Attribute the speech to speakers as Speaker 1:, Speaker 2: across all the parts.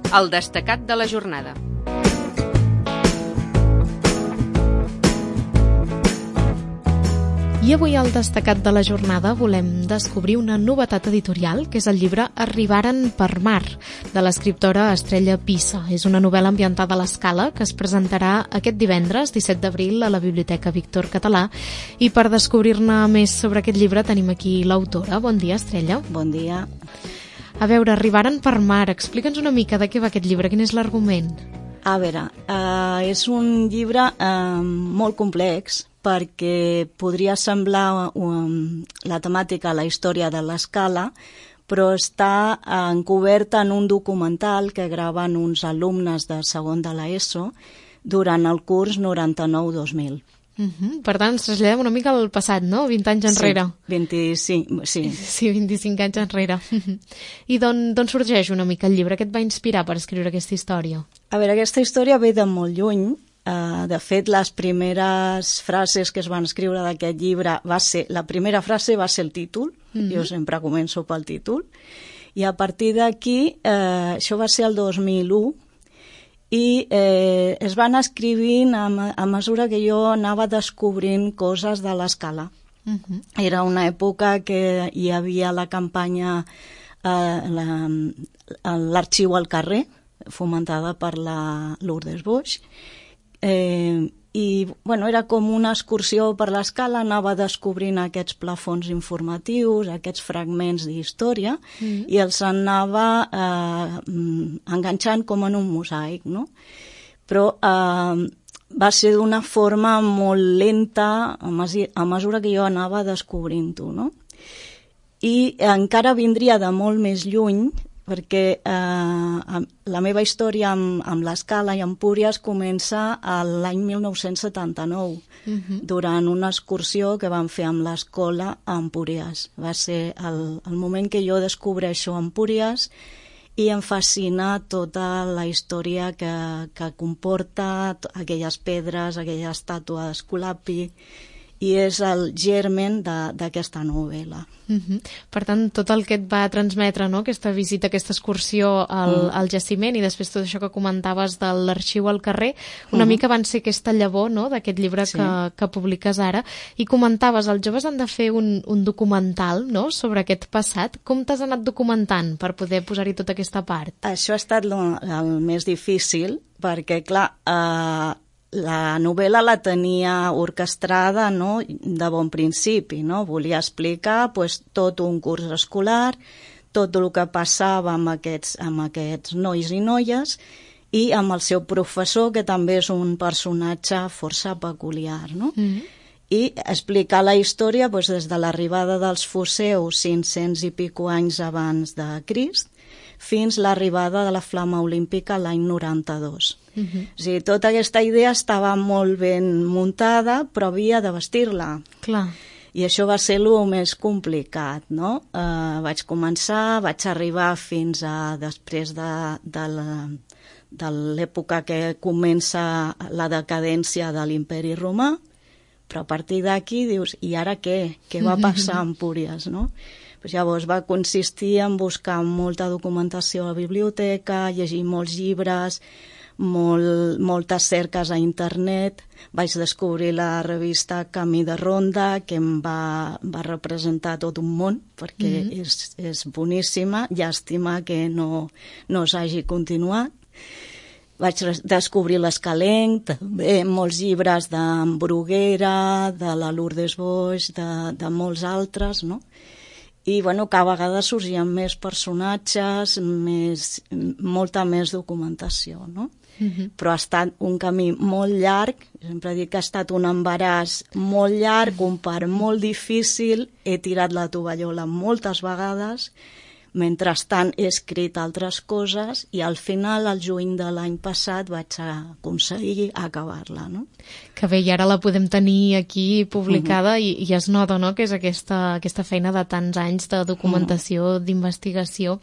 Speaker 1: El destacat de la jornada.
Speaker 2: I avui al destacat de la jornada volem descobrir una novetat editorial, que és el llibre Arribaren per mar, de l'escriptora Estrella Pissa. És una novel·la ambientada a l'Escala que es presentarà aquest divendres, 17 d'abril, a la Biblioteca Víctor Català. I per descobrir-ne més sobre aquest llibre tenim aquí l'autora. Bon dia, Estrella.
Speaker 3: Bon dia.
Speaker 2: A veure, Arribaren per mar. Explica'ns una mica de què va aquest llibre, quin és l'argument?
Speaker 3: A veure, és un llibre molt complex, perquè podria semblar la temàtica, la història de l'Escala, però està encoberta en un documental que graven uns alumnes de segon de l'ESO durant el curs 99-2000.
Speaker 2: Per tant, ens traslladem una mica al passat, no? 20 anys enrere.
Speaker 3: Sí, 25, sí.
Speaker 2: Sí, 25 anys enrere. I d'on sorgeix una mica el llibre? Què et va inspirar per escriure aquesta història?
Speaker 3: A veure, aquesta història ve de molt lluny. De fet, les primeres frases que es van escriure d'aquest llibre la primera frase va ser el títol. Jo sempre començo pel títol. I a partir d'aquí, això va ser el 2001, i es van escrivint a mesura que jo anava descobrint coses de l'Escala. Era una època que hi havia la campanya l'Arxiu al carrer, fomentada per la Lourdes Boix, i era com una excursió per l'Escala, anava descobrint aquests plafons informatius, aquests fragments d'història, i els anava enganxant com en un mosaic, no? Però va ser d'una forma molt lenta a mesura que jo anava descobrint-ho, no? I encara vindria de molt més lluny, perquè la meva història amb l'Escala i Empúries comença l'any 1979, durant una excursió que vam fer amb l'escola a Empúries. Va ser el moment que jo descobreixo Empúries i em fascina tota la història que comporta aquelles pedres, aquella estàtua d'Esculapi, i és el germen d'aquesta novel·la.
Speaker 2: Per tant, tot el que et va transmetre, no?, aquesta visita, aquesta excursió al jaciment, i després tot això que comentaves de l'Arxiu al carrer, una mica van ser aquesta llavor, no?, d'aquest llibre que publiques ara. I comentaves, els joves han de fer un documental, no?, sobre aquest passat. Com t'has anat documentant per poder posar-hi tota aquesta part?
Speaker 3: Això ha estat el més difícil, perquè, clar, la novel·la la tenia orquestrada, no?, de bon principi, no? Volia explicar tot un curs escolar, tot el que passava amb aquests nois i noies, i amb el seu professor, que també és un personatge força peculiar, no? I explicar la història des de l'arribada dels foceus 500 i pico anys abans de Crist fins l'arribada de la flama olímpica l'any 92. O sigui, tota aquesta idea estava molt ben muntada, però havia de vestir-la.
Speaker 2: Clar.
Speaker 3: I això va ser el més complicat, no? Vaig arribar fins a després de l'època que comença la decadència de l'Imperi Romà, però a partir d'aquí dius, i ara què? Què va passar a Empúries, no? Llavors va consistir en buscar molta documentació a la biblioteca, llegir molts llibres, moltes cerques a internet. Vaig descobrir la revista Camí de Ronda, que em va representar tot un món, perquè és boníssima. Llàstima que no s'hagi continuat. Vaig descobrir l'Escalenc, també molts llibres d'en Bruguera, de la Lourdes Boix, de molts altres, no? I, cada vegada sorgien més personatges, molta més documentació, no? Però ha estat un camí molt llarg, sempre dic que ha estat un embaràs molt llarg, un part molt difícil, he tirat la tovallola moltes vegades, mentrestant he escrit altres coses i al final, al juny de l'any passat, vaig aconseguir acabar-la, no?
Speaker 2: Que bé, i ara la podem tenir aquí publicada i es nota, no?, que és aquesta feina de tants anys de documentació, d'investigació,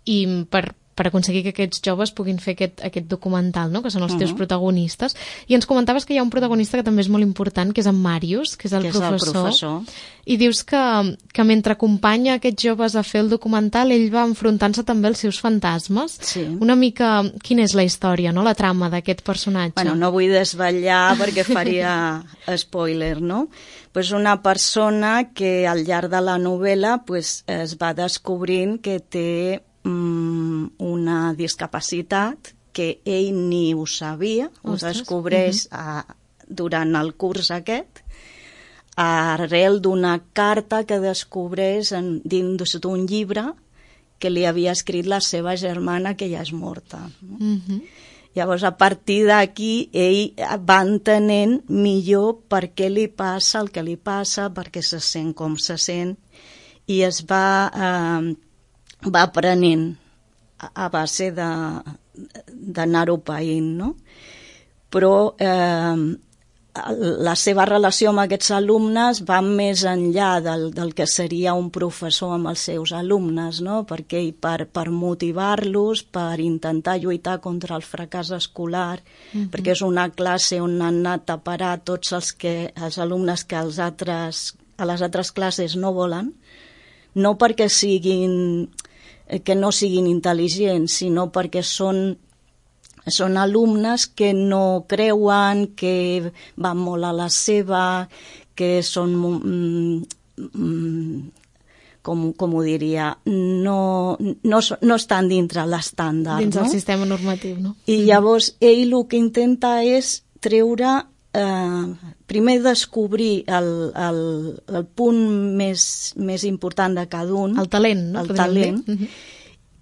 Speaker 2: i per per aconseguir que aquests joves puguin fer aquest documental, no? Que són els teus protagonistes. I ens comentaves que hi ha un protagonista que també és molt important, que és en Màrius, que és el professor. I dius que mentre acompanya aquests joves a fer el documental, ell va enfrontant-se també als seus fantasmes.
Speaker 3: Sí.
Speaker 2: Una mica, quina és la història, no? La trama d'aquest personatge.
Speaker 3: Bueno, no vull desvetllar perquè faria spoiler, no? Pues una persona que al llarg de la novel·la pues, es va descobrint que té una discapacitat que ell ni ho sabia, ho descobreix durant el curs aquest, arrel d'una carta que descobreix dins d'un llibre que li havia escrit la seva germana, que ja és morta. No? Llavors, a partir d'aquí, ell va entenent millor per què li passa el que li passa, per què se sent com se sent, i es va aprenent a base d'anar-ho païnt, no? Però la seva relació amb aquests alumnes va més enllà del que seria un professor amb els seus alumnes, no? Perquè per motivar-los, per intentar lluitar contra el fracàs escolar, perquè és una classe on han anat a parar tots els alumnes que a les altres classes no volen, no perquè que no siguin intel·ligents, sinó perquè són alumnes que no creuen, que van molt a la seva, que són, com ho diria, no estan dintre l'estàndard.
Speaker 2: Dins el sistema normatiu, no?
Speaker 3: I llavors ell el que intenta és treure, primer descobrir el punt més important de cada un.
Speaker 2: El talent, no?
Speaker 3: El talent.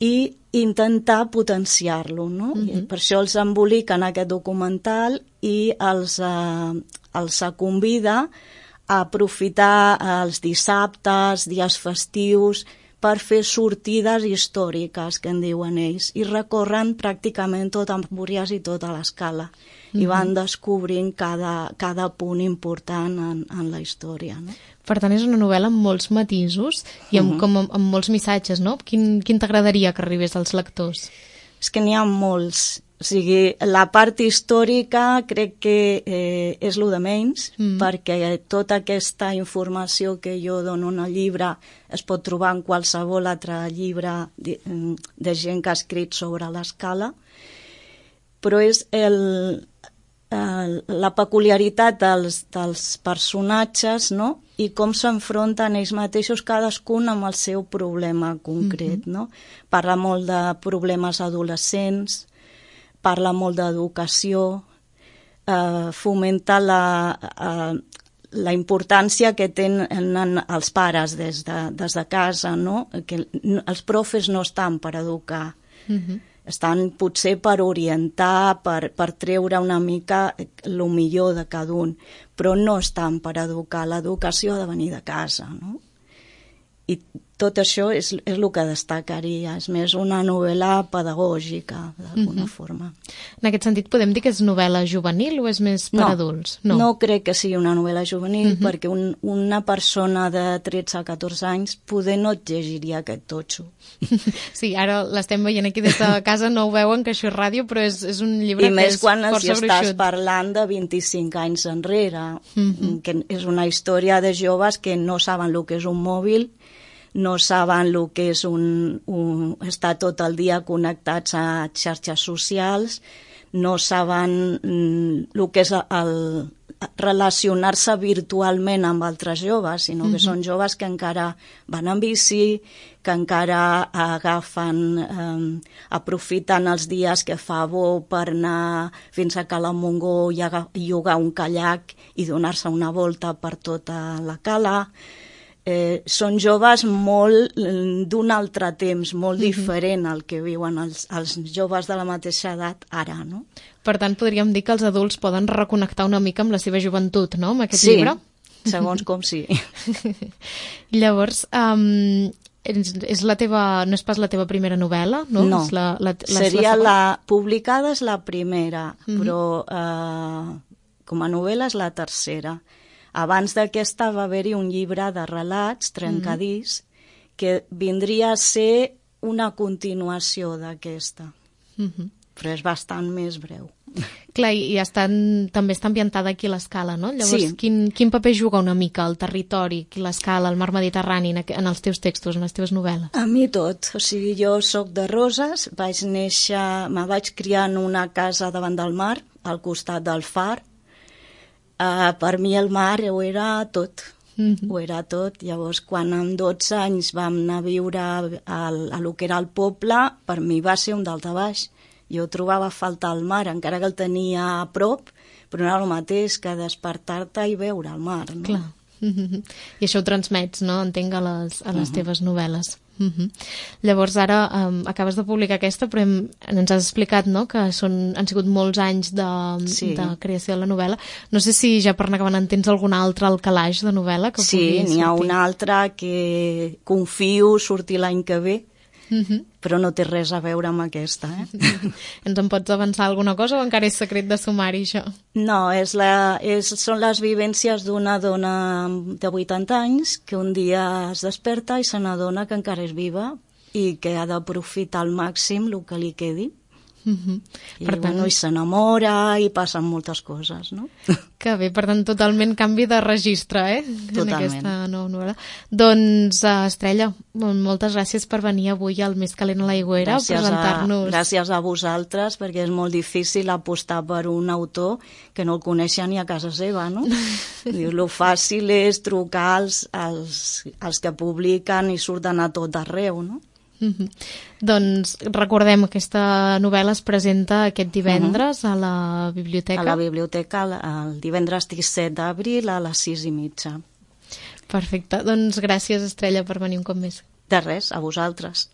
Speaker 3: I intentar potenciar-lo, no? Per això els embolica en aquest documental i els convida a aprofitar els dissabtes, dies festius, per fer sortides històriques, que en diuen ells, i recorren pràcticament tot Empúries i tota l'escala, i van descobrint cada punt important en la història, no?
Speaker 2: Per tant, és una novel·la amb molts matisos i amb molts missatges, no? Quin t'agradaria que arribés als lectors?
Speaker 3: És que n'hi ha molts. O sigui, la part històrica crec que és lo de menys, perquè tota aquesta informació que jo dono en el llibre es pot trobar en qualsevol altre llibre de gent que ha escrit sobre l'escala, però és la peculiaritat dels personatges, no? I com s'enfronten ells mateixos, cadascun amb el seu problema concret, no? Parla molt de problemes adolescents, parla molt d'educació, fomenta la importància que tenen els pares des de casa, no? Que els profes no estan per educar, estan potser per orientar, per treure una mica el millor de cada un, però no estan per educar. L'educació ha de venir de casa, no? I tot això és el que destacaria, és més una novel·la pedagògica, d'alguna forma.
Speaker 2: En aquest sentit, podem dir que és novel·la juvenil o és més per adults?
Speaker 3: No crec que sigui una novel·la juvenil, perquè una persona de 13 a 14 anys poder no et llegiria aquest totxo.
Speaker 2: Sí, ara l'estem veient aquí des de casa, no ho veuen, que això és ràdio, però és un llibre que és força gruixut. I més quan estàs
Speaker 3: parlant de 25 anys enrere, que és una història de joves que no saben el que és un mòbil, no saben el que és estar tot el dia connectats a xarxes socials, no saben el que és relacionar-se virtualment amb altres joves, sinó que són joves que encara van en bici, que encara aprofiten els dies que fa bo per anar fins a Cala Montgó i llogar un caiac i donar-se una volta per tota la cala. Són joves molt d'un altre temps, molt diferent al que viuen els joves de la mateixa edat ara, no?
Speaker 2: Per tant, podríem dir que els adults poden reconnectar una mica amb la seva joventut, no?, amb aquest llibre?
Speaker 3: Sí, segons com sí.
Speaker 2: Llavors, és no és pas la teva primera novel·la, no?
Speaker 3: No, seria publicada és la primera, però com a novel·la és la tercera. Abans d'aquesta va haver-hi un llibre de relats, Trencadís, que vindria a ser una continuació d'aquesta, però és bastant més breu.
Speaker 2: Clar, i també està ambientada aquí a l'Escala, no? Llavors,
Speaker 3: Sí.
Speaker 2: quin paper juga una mica el territori, l'Escala, el mar Mediterrani en els teus textos, en les teves novel·les?
Speaker 3: A mi tot, o sigui, jo sóc de Roses, me vaig criar en una casa davant del mar, al costat del far. Per mi el mar ho era tot, ho era tot. Llavors, quan amb 12 anys vam anar a viure a lo que era el poble, per mi va ser un daltabaix. Jo trobava a faltar el mar, encara que el tenia a prop, però no era el mateix que despertar-te i veure el mar, no?
Speaker 2: Clar. I això ho transmets, no? Entenc, a les teves novel·les. Llavors ara acabes de publicar aquesta, però ens has explicat, no?, que han sigut molts anys de creació de la novel·la. No sé si ja per anar acabant en tens algun altre al calaix de novel·la que pugui sortir.
Speaker 3: Sí, n'hi ha una altra que confio sortir l'any que ve, però no té res a veure amb aquesta.
Speaker 2: Ens en pots avançar alguna cosa o encara és secret de sumari, això?
Speaker 3: No, són les vivències d'una dona de 80 anys que un dia es desperta i se n'adona que encara és viva i que ha d'aprofitar al màxim el que li quedi. I s'enamora i passen moltes coses, no?
Speaker 2: Que bé, per tant, totalment canvi de registre,
Speaker 3: Totalment.
Speaker 2: En aquesta nova novel·la. Doncs, Estrella, moltes gràcies per venir avui al Més calent a l'aigüera a presentar-nos.
Speaker 3: Gràcies a vosaltres, perquè és molt difícil apostar per un autor que no el coneixen ni a casa seva, no? Lo fàcil és trucar als que publiquen i surten a tot arreu, no?
Speaker 2: Doncs recordem, aquesta novel·la es presenta aquest divendres a la biblioteca.
Speaker 3: A la biblioteca el divendres 17 d'abril a les 6:30.
Speaker 2: Perfecte, doncs gràcies, Estrella, per venir un cop més.
Speaker 3: De res, a vosaltres.